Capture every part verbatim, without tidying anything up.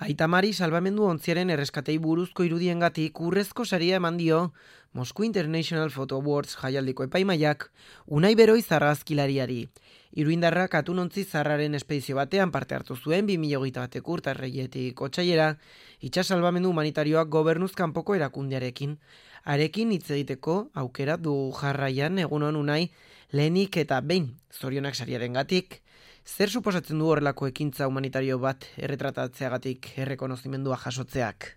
Aita Mari salbamendu ontziaren erreskatei buruzko irudiengatik urrezko saria eman dio Moscow International Photo Awards jaialdiko epaimaiak Unai Beroiz argazkilariari. Iruindarrak atunontzi zarraren espedizio batean parte hartu zuen bi mila hogeita bateko urtarriletik otsailera, itsas salbamendu humanitarioak gobernuz kanpoko erakundearekin. Harekin hitz egiteko aukera du jarraian. Egunon Unai, lehenik eta behin zorionak sariarengatik. Zer suposatzen du horrelako ekintza humanitario bat erretratatzeagatik errekonozimendua jasotzeak?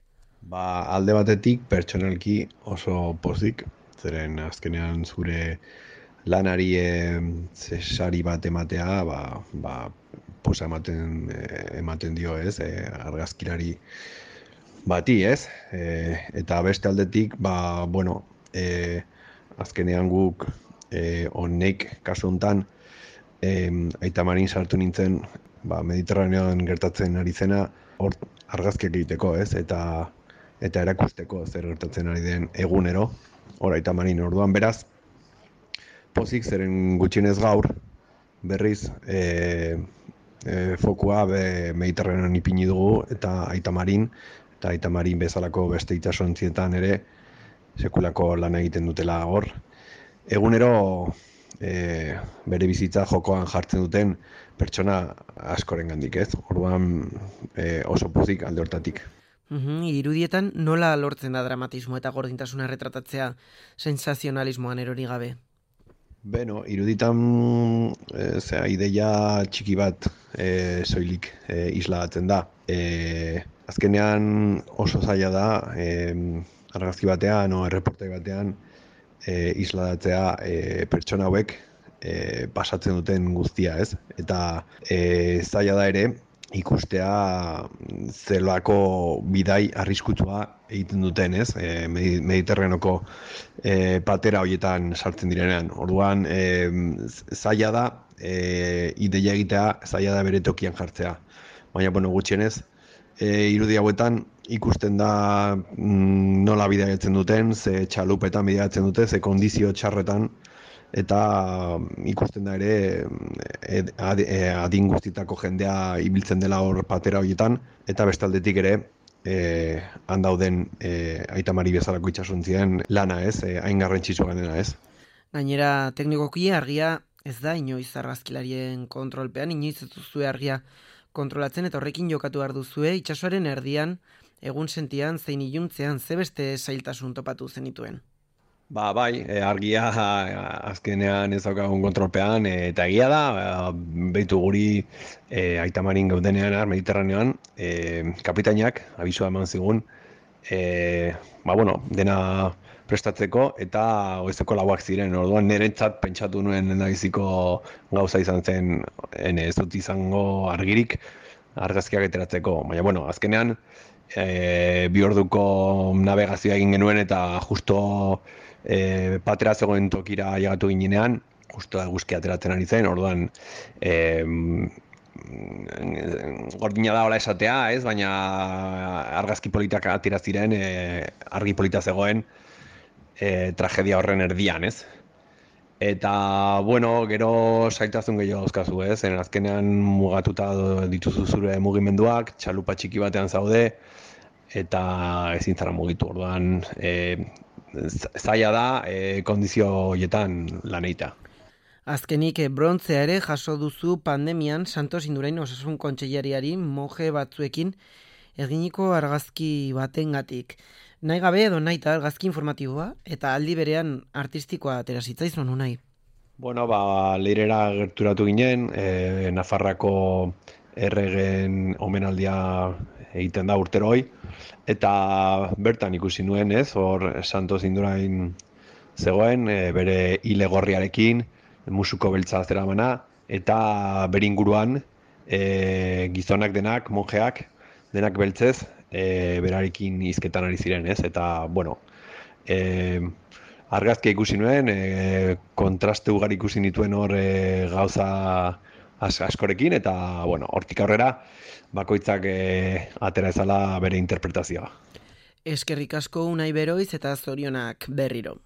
Ba, alde batetik pertsonalki oso pozik, zeren azkenean zure lanari e, sari bat ematea, ba, ba, posa ematen, ematen dio, ez, e, argazkilari bati, ez? E, eta beste aldetik, ba, bueno, e, azkenean guk e, honek kasu hontan, e, Aita Marin sartu nintzen, ba, Mediterraneoan gertatzen ari zena, hor argazkiak egiteko, ez? Eta eta erakusteko zer gertatzen ari den egunero, hor Aita Marin orduan beraz, pozik zeren gutxienez gaur, berriz e, e, fokua be, Mediterranean ipini dugu, eta Aita Marin, eta Aita Marin bezalako beste itsasontzietan ere, sekulako lan egiten dutela hor. Egunero e, bere bizitza jokoan jartzen duten pertsona askorengandik, ez? Orduan e, oso pozik alde hortatik. Uhum, irudietan nola lortzen da dramatismo eta gordintasuna retratatzea sensazionalismoan erori gabe? Beno, iruditan e, zera, ideia txiki bat e, soilik e, isladatzen da. E, azkenean oso zaila da e, argazki batean o erreportai batean e, isladatzea e, pertsona hauek e, pasatzen duten guztia, ez? Eta e, zaila da ere ikustea zelako bidai arriskutsua egiten duten, ez? E, Mediterraneoko e, patera horietan sartzen direnean. Orduan, e, zaila da e, ideia egitea, zaila da bere tokian jartzea. Baina, bueno, gutxienez, e, irudi hauetan ikusten da mm, nola bidaiatzen duten, ze txalupetan bidaiatzen dute, ze kondizio txarretan, eta ikusten da ere adin guztitako jendea ibiltzen dela hor patera horietan, eta bestaldetik ere e, handauden e, Aita Mari bezalako itsasontzien lana, ez, e, hain garrantzitsua dena, ez. Gainera, teknikoki argia ez da inoiz argazkilarien kontrolpean, inoiz ez duzue argia kontrolatzen, eta horrekin jokatu behar duzue itsasoaren erdian, egun sentian, zein iluntzean, ze beste zailtasun topatu zenituen? Ba, bai, e, argia azkenean ez daukagun kontrolpean, e, eta egia da, e, behitu guri e, Aita Marin gaudenean, Mediterraneoan, e, kapitainak abisua eman zigun, e, ba, bueno, dena prestatzeko, eta oizeko lauak ziren, orduan niretzat pentsatu nuen nahiziko gauza izan zen, ene, ez dut izango argirik argazkiak ateratzeko, baina, bueno, azkenean, e, bi orduko navegazioa egin genuen, eta justo E, patera zegoen tokira llegatu ginean, justo eguzkia ateratzen ari zen, orduan e, gordina da hola esatea, ez, baina argazki politak atera ziren, e, argi polita zegoen e, tragedia horren erdian, ez. Eta, bueno, gero zailtasun gehiago dauzkazu, ez, en azkenean mugatuta dituzu zure mugimenduak, txalupa txiki batean zaude, eta ezin zara mugitu, orduan e, zaila da e, kondizio horietan lan egitea. Azkenik, brontzea ere jaso duzu pandemian Santos Indurain Osasun Kontseilariari moje batzuekin eginiko argazki batengatik. Nahi gabe edo nahita argazki informatiboa eta aldi berean artistikoa atera zitzaizun Unai. Bueno, ba, leirera gerturatu ginen, e, Nafarrako erregen omenaldia egiten da urteroi, eta bertan ikusi nuen, ez, hor Santos Indurain zegoen, e, bere hile gorriarekin, musuko beltza zeramana, eta bere inguruan e, gizonak denak, monjeak, denak beltzez, e, berarekin hizketan ari ziren, ez, eta, bueno, e, argazkia ikusi nuen, e, kontraste ugari ikusi nituen hor e, gauza askorekin, eta, bueno, hortik aurrera, bakoitzak e, atera ezala bere interpretazioa. Eskerrik asko Unai Beroiz eta zorionak berriro.